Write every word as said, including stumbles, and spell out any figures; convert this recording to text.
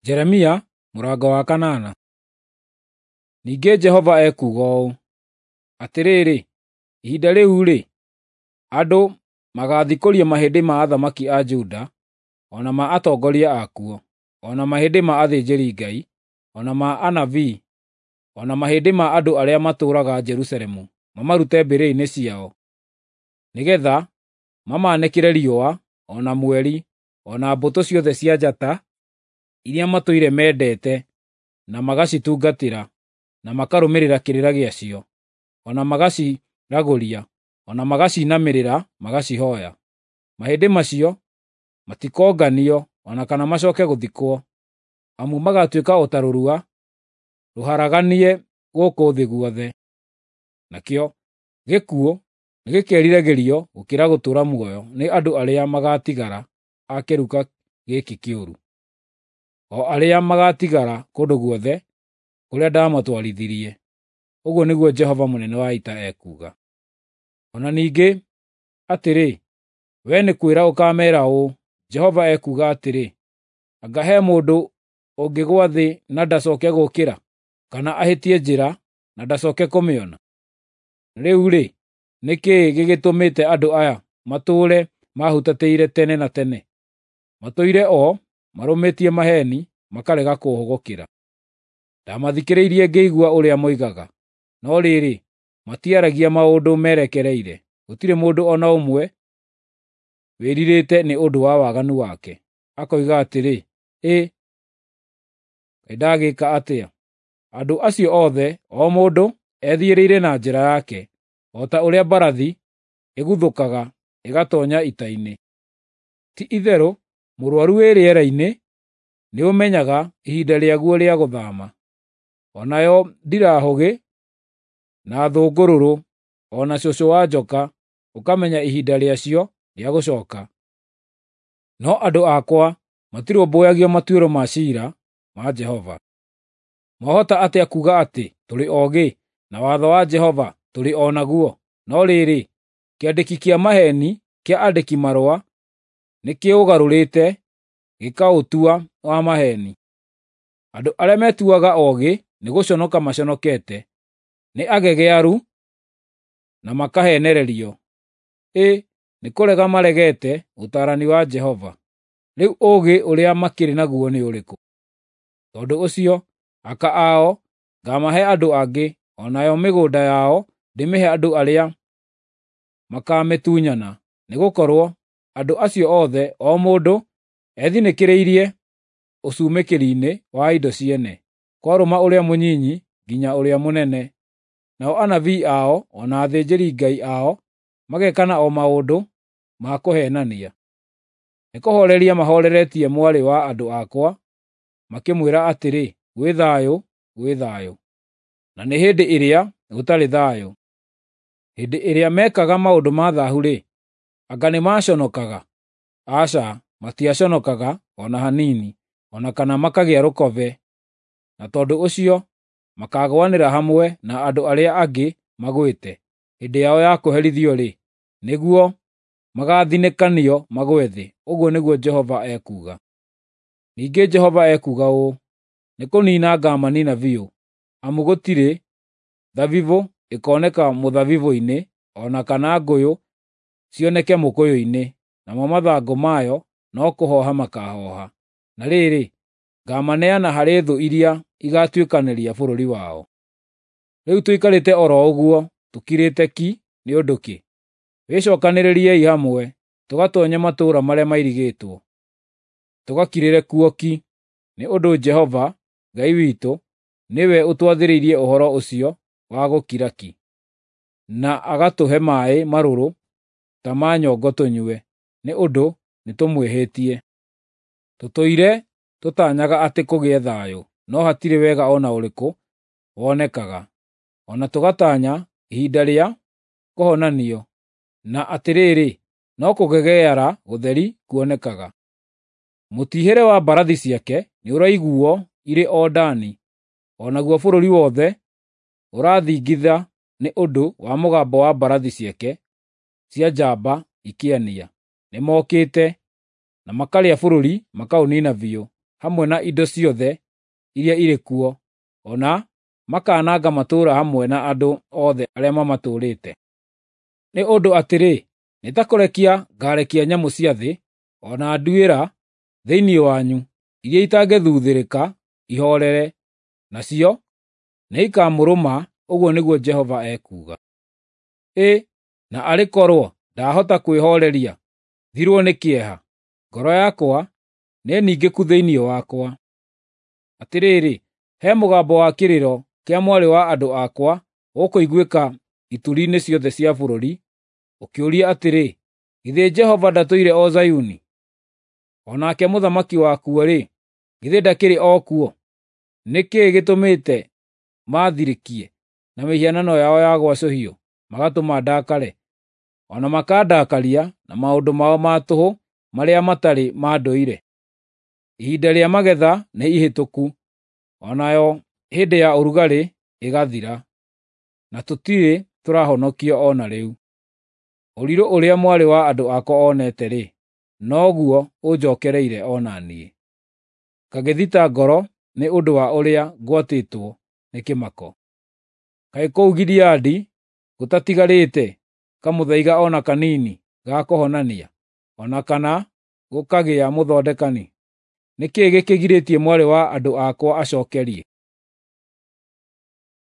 Jeremia mũrango wa kanana. Ningĩ Jehova ekuuga ũũ, atĩrĩrĩ, ihinda rĩu-rĩ, andũ magaathikũria mahĩndĩ ma athamaki a Juda, o na ma atongoria akuo, o na mahĩndĩ ma athĩnjĩri-Ngai, o na ma anabii, o na mahĩndĩ ma andũ arĩa matũũraga Jerusalemu mamarute mbĩrĩra-inĩ ciao, nĩgeetha mamanĩkĩre riũa, o na mweri, o na mbũtũ ciothe cia njata iria matũire mendete na magacitungatĩra, na makarũmĩrĩra kĩrĩra gĩacio, o na magaciragũria, o na magacinamĩrĩra magacihooya. Mahĩndĩ macio matikonganio o na kana macooke gũthikwo, amu magaatuĩka o ta rũrua rũharaganie gũkũ thĩ guothe. Nakĩo gĩkuũ nĩgĩkeriragĩrio gũkĩra gũtũũra muoyo nĩ andũ arĩa magaatigara a kĩruka gĩkĩ kĩũru, o arĩa magaatigara kũndũ guothe kũrĩa ndaamatwarithirie, ũguo nĩguo Jehova mũnene wa ita ekuuga. O na ningĩ atĩrĩ, wee nĩ kwĩra ũkaameera ũũ, Jehova ekuuga atĩrĩ, anga he mũndũ ũngĩgũa thĩ na ndacooke gũũkĩra, kana ahĩtie njĩra na ndacooke kũmĩona? Rĩu-rĩ, nĩ kĩĩ gĩgĩtũmĩte andũ aya matũũre mahutatĩire tene na tene? Matũire o marũmĩtie maheeni, makarega kũũhũgũkĩra. Ndamathikĩrĩirie ngĩigua ũrĩa moigaga, no rĩrĩ, matiaragia maũndũ merekereire. Gũtirĩ mũndũ o na ũmwe wĩrirĩte nĩ ũndũ wa waganu wake, akoiga atĩrĩ, “Ĩ, kaĩ ndagĩka atĩa?” Andũ acio othe, o mũndũ ethiĩrĩire na njĩra yake, o ta ũrĩa mbarathi ĩguthũkaga ĩgatoonya ita-inĩ. Ti-itherũ mũrũaru wĩ rĩera-inĩ nĩũmenyaga ihinda rĩaguo rĩa gũthaama, o nayo ndirahũgĩ, na thũngũrũrũ, o na cũcũ wa njoka ũkamenya ihinda rĩacio rĩa gũcooka. No andũ akwa matirũmbũyagia matuĩro ma ciira ma Jehova. Mwahota atĩa kuuga atĩ, “Tũrĩ oogĩ, na watho wa Jehova tũrĩ o naguo”? No rĩrĩ, kĩandĩki kĩa maheeni kĩa andĩki-marũa nĩkĩũgarũrĩte gĩkaũtua wa maheeni. Andũ arĩa metuaga oogĩ nĩgũconoka maconokete, nĩ agegearu na makaheenererio. Ĩ nĩkũrega maregete ũtaarani wa Jehova! Rĩu ũũgĩ ũrĩa makĩrĩ naguo nĩ ũrĩkũ? Tondũ ũcio aka ao ngaamahe andũ angĩ, o nayo mĩgũnda yao ndĩmĩhe andũ arĩa makaamĩtunyana, nĩgũkorwo andũ acio othe, o mũndũ ethinĩkĩrĩirie ũcumĩkĩri-inĩ wa indo ciene, kwarũma ũrĩa mũnyinyi nginya ũrĩa mũnene. Nao anabii ao o na athĩnjĩri-Ngai ao magekana o maũndũ ma kũheenania. Nĩkũhooreria mahooreretie mwarĩ wa andũ akwa, makĩmwĩra atĩrĩ, “Gwĩ thayũ, gwĩ thayũ,” na nĩ hĩndĩ ĩrĩa gũtarĩ thayũ. Hĩndĩ ĩrĩa meekaga maũndũ ma thaahu-rĩ, anga nĩmaconokaga? Aca, matiaconokaga o na hanini, o na kana makagĩa rũkobe, na tondũ ũcio makaagũanĩra hamwe na andũ arĩa angĩ magwĩte. Hĩndĩ yao ya kũherithio-rĩ, nĩguo magaathinĩkanio magwe thĩ, ũguo nĩguo Jehova ekuuga. Ningĩ Jehova ekuuga ũũ, nĩkũniina ngaamaniina biũ, amu gũtirĩ thabibũ ĩkoneka mũthabibũ-inĩ, o na kana ngũyũ cioneke mũkũyũ-inĩ, namo mathangũ mayo no kũhooha makahooha. Na rĩrĩ, ngaamaneana harĩ thũ iria igaatuĩkanĩria bũrũri wao. Rĩu tũikarĩte o ro ũguo tũkirĩte ki nĩ ũndũ kĩ? Wĩcookanĩrĩriei hamwe, tũgatoonye matũũra marĩa mairigĩtwo, tũgakirĩre kuo ki, nĩ ũndũ Jehova Ngai witũ nĩwe ũtwathĩrĩirie ũhoro ũcio wa gũkira ki, na agatũhe maaĩ marũrũ ta ma nyongo tũnyue, nĩ ũndũ nĩtũmwĩhĩtie. Tũtũire tũtaanyaga atĩ kũgĩe thayũ, no hatirĩ wega o na ũrĩkũ wonekaga, o na tũgatanya ihinda rĩa kũhonanio, na atĩrĩrĩ, no kũgegeara gũtheri kuonekaga. Mũtiihĩre wa mbarathi ciake nĩũraiguuo irĩ o Dani, o naguo bũrũri wothe ũrathingitha nĩ ũndũ wa mũgambo wa mbarathi ciake cia njamba ikĩania. Nĩmokĩte na makarĩa bũrũri makaũniina biũ, hamwe na indo ciothe iria irĩ kuo, o na makananga matũũra hamwe na andũ othe arĩa mamatũũrĩte. Nĩ ũndũ atĩrĩ, nĩ ta kũrekia ngaarekia nyamũ cia thĩ, o na nduĩra thĩinĩ wanyu, iria itangĩthuthĩrĩka ihorere, nacio nĩikamũrũma, ũguo nĩguo Jehova ekuuga. Ĩ, na arĩ korwo ndahota kwĩhooreria, thirwo nĩ kĩeha! Ngoro yakwa nĩningĩku thĩinĩ wakwa. Atĩrĩrĩ, he mũgambo wa kĩrĩro kĩa mwarĩ wa andũ akwa ũkũiguĩka ituri-inĩ ciothe cia bũrũri, ũkĩũria atĩrĩ, “Githĩ Jehova ndatũire o Zayuni? O nake mũthamaki wakuo-rĩ, githĩ ndakĩrĩ o kuo?” Nĩ kĩĩ gĩtũmĩte maathirĩkie na mĩhianano yao ya gwacũhio magatũma ndakare, o na makandakaria na maũndũ mao ma tũhũ marĩa matarĩ ma ndũire? Ihinda rĩa magetha nĩ ihĩtũku, o nayo hĩndĩ ya ũrugarĩ ĩgathira, na tũtirĩ tũrahonokio o na rĩu. Ũrirũ ũrĩa mwarĩ wa andũ akwa onete-rĩ, noguo ũnjookereire o na niĩ, ngagĩthita ngoro nĩ ũndũ wa ũrĩa ngwatĩtwo nĩ kĩmako. Kaĩ kũu Gileadi gũtatigarĩte kamũthaiga o na kanini ga kũhonania, o na kana gũkagĩa mũthondekani? Nĩ kĩĩ gĩkĩgirĩtie mwarĩ wa andũ akwa acookerie?